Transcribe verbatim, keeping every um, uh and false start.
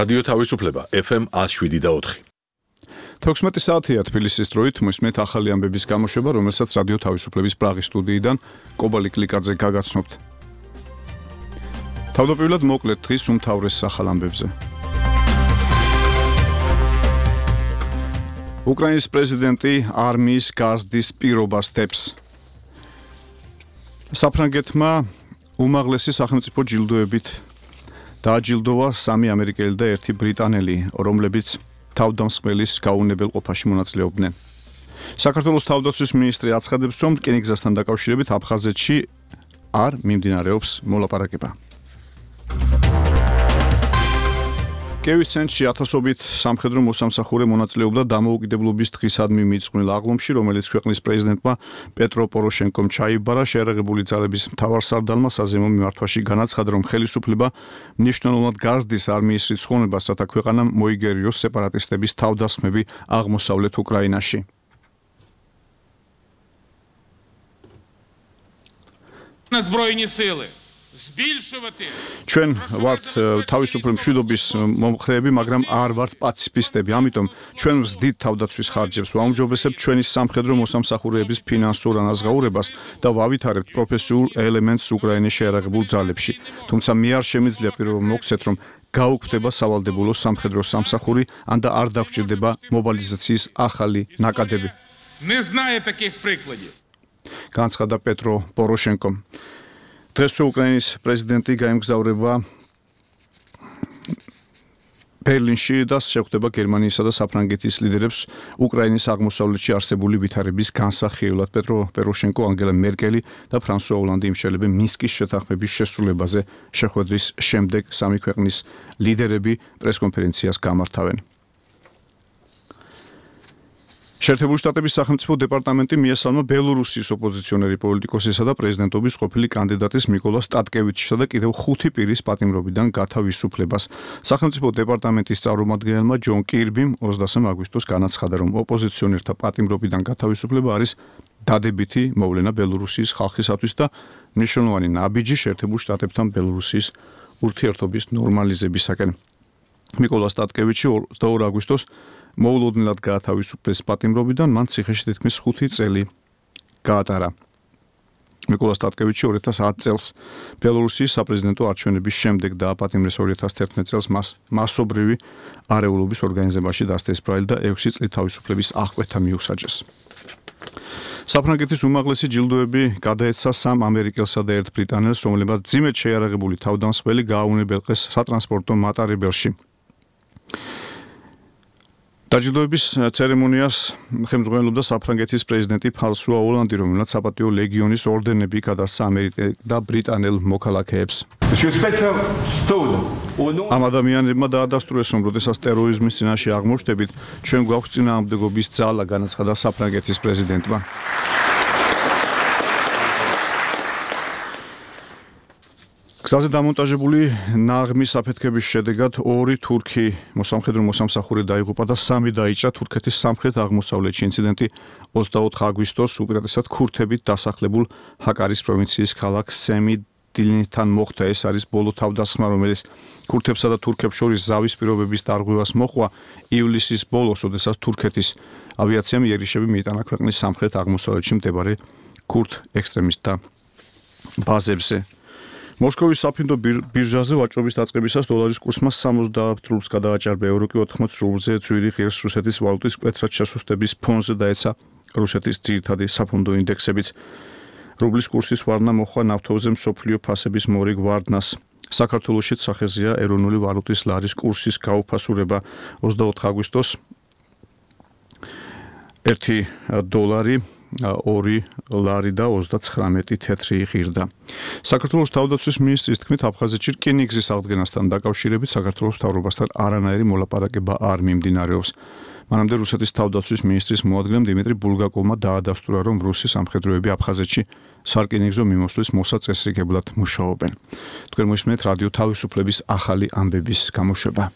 რადიო თავისუფლება ეფ ემ ათს შვიდი და ოთხი. თექვსმეტი საათია თბილისის დროით მოსმენთ ახალი ამბების გამოშვება, რომელსაც რადიო თავისუფლების პრაღის სტუდიიდან კობალი კლიკაძე გაგაცნობთ. თავდაპირველად მოკლედ დღის უმთავრეს ახალ ამბებზე. უკრაინის პრეზიდენტი არმიის გაზრდის პირობას დებს. საფრანგეთმა უმაღლესი სახელმწიფო ჯილდოებით დააჯილდოვა სამი ამერიკელი და ერთი ბრიტანელი, რომლებიც თავდამსხმელის გაუნებელ ყოფაში მონაწილეობდნენ. საქართველოს თავდაცვის მინისტრი აცხადებს, რომ რკინიგზასთან დაკავშირებით აფხაზეთში არ მიმდინარეობს მოლაპარაკება. კიევის ცენტრში ათასობით სამხედრო მოსამსახურე მონაწილეობდა დამოუკიდებლობის დღისადმი მიძღვნილ აღლუმში, რომელიც ქვეყნის პრეზიდენტმა პეტრო პოროშენკომ ჩაიბარა. შეერაღებული ძალების მთავარსარდალმა საზემო მიმართვაში განაცხადა, რომ ხელისუფლება მნიშვნელოვნად გაზრდის არმიის რიცხოვნებას, რათა ქვეყანამ მოიგერიოს სეპარატისტების თავდასხმები აღმოსავლეთ უკრაინაში. Збройні сили ჩვენ ვართ თავისუფლი მშვიდობის მომხრეები, მაგრამ არ ვართ პაციფისტები. ამიტომ ჩვენ ვზდით თავდაცვის ხარჯებს, ვაუმჯობესებთ ჩვენი სამხედრო მოსამსახურეების ფინანსურ ანაზღაურებას და ვავითარებთ პროფესიულ ელემენტს უკრაინის შეერაღებულ ძალებში. თუმცა მე არ შემიძლია პირობა მოგცეთ, რომ გაუქმდება სავალდებულო სამხედრო სამსახური, ან და არ დაგჭირდება მობილიზაციის ახალი ნაკადები. Не знаю таких прикладів. განცხადა პეტრო პოროშენკომ. დღეს უკრაინის პრეზიდენტი გაემგზავრება ბერლინში და შეხვდება გერმანიისა და საფრანგეთის ლიდერებს უკრაინის აღმოსავლეთში არსებული ვითარების განსახილვად. პეტრო პოროშენკო, ანგელა მერკელი და ფრანსუა ოლანდი იმსჯელებენ მინსკის შეთანხმების შესრულებაზე. შეხვედრის შემდეგ სამი ქვეყნის ლიდერები პრესკონფერენციას გამართავენ. შეერთებული შტატების სახელმწიფო დეპარტამენტი მიესალმა ბელორუსიის ოპოზიციონერი პოლიტიკოსისა და პრეზიდენტობის ყოფილი კანდიდატის მიკოლა სტატკევიჩისა და კიდევ ხუთი პირის პატიმრობიდან გათავისუფლებას. სახელმწიფო დეპარტამენტის წარმომადგენელმა ჯონ კირბიმ ოცდაათი აგვისტოს განაცხადა, რომ ოპოზიციონერთა პატიმრობიდან გათავისუფლება არის დადებითი მოვლენა ბელორუსიის ხალხისათვის და მნიშვნელოვანი ნაბიჯი შეერთებულ შტატებთან ბელორუსიის ურთიერთობის ნორმალიზებისაკენ. მიკოლა სტატკევიჩი ოცდაორი აგვისტოს მოულოდნელად გაათავისუფლეს პატიმრობიდან, მან ციხეში თითქმის ხუთი წელი გაატარა. მიკოლა სტატკევიჩი ორი ათას ათი წელს ბელორუსიის საპრეზიდენტო არჩევნების შემდეგ დააპატიმრეს ორი ათას თერთმეტი წელს მას მასობრივი არეულობის ორგანიზებაში დასტესბრალი და ექვსი წლით თავისუფლების აღკვეთა მიუსაჯეს. საფრანგეთის უმაღლესი ჯილდოები გადაეცა სამ ამერიკელსა და ერთ ბრიტანელს, რომლებმაც მძიმედ შეიარაღებული თავდამსხმელი გააუნებელყეს სატრანსპორტო მატარებელში. დაჯილდოების ცერემონიას ხელმძღვანელობდა საფრანგეთის პრეზიდენტი ფრანსუა ოლანდი, რომელმაც საპატიო ლეგიონის ორდენები გადასცა ამერიკელ და ბრიტანელ მოქალაქეებს. ამ ადამიანებმა დაადასტურეს, რომ როდესაც ტერორიზმის წინაშე აღმოჩნდებით, ჩვენ გვაქვს წინააღმდეგობის ძალა, განაცხადა საფრანგეთის პრეზიდენტმა. გზაზე დამონტაჟებული ნაღმის აფეთქების შედეგად ორი თურქი მოსამხედრო მოსამსახურე დაიღუპა და სამი დაიჭრა თურქეთის სამხრეთ აღმოსავლეთში. ინციდენტი ოცდაოთხი აგვისტოს უპირატესად ქურთებით დასახლებულ ჰაკარის პროვინციის ქალაქ სემიდილინთან მოხდა. ეს არის ბოლო თავდასხმა, რომელიც ქურთებსა და თურქებს შორის ზავის პირობების დარღვევას მოჰყვა ივლისის ბოლოს, როდესაც თურქეთის ავიაციამ იერიშები მიიტანა ქვეყნის სამხრეთ აღმოსავლეთში მდებარე ქურთ ექსტრემისტთა ბაზებზე. მოსკოვის საფინდო ბირჟაზე ვაჭრობის დაწყებისას დოლარის კურსმა სამოცდაათ რუბლს გადააჭარბა, ევრო კი ოთხმოცი რუბლზე ცვირი ღირს რუსეთის ვალუტის მკვეთრად შესუსტების ფონზე დაეცა რუსეთის ძირითადი საფონდო ინდექსებიც. რუბლის კურსის ვარდნა მოჰყვა ნავთობზე მსოფლიო ფასების მორიგ ვარდნას. საქართველოშიც სახეზეა ეროვნული ვალუტის ლარის კურსის გაუფასურება. ოცდაოთხი აგვისტოს ერთი დოლარი ორი ლარი და ოცდაცხრამეტი თეთრი ღირდა. საქართველოს თავდაცვის მინისტრის თქმით, აფხაზეთში რკინიგზის აღდგენასთან დაკავშირებით საქართველოს მთავრობასთან არანაირი მოლაპარაკება არ მიმდინარეობს. მანამდე რუსეთის თავდაცვის მინისტრის მოადგილემ დიმიტრი ბულგაკოვმა დაადასტურა, რომ რუსი სამხედროები აფხაზეთში სარკინიგზო მიმოსვლის მოსაწესრიგებლად მუშაობენ. თქვენ მოსმენთ რადიო თავისუფლების ახალი ამბების გამოშვება.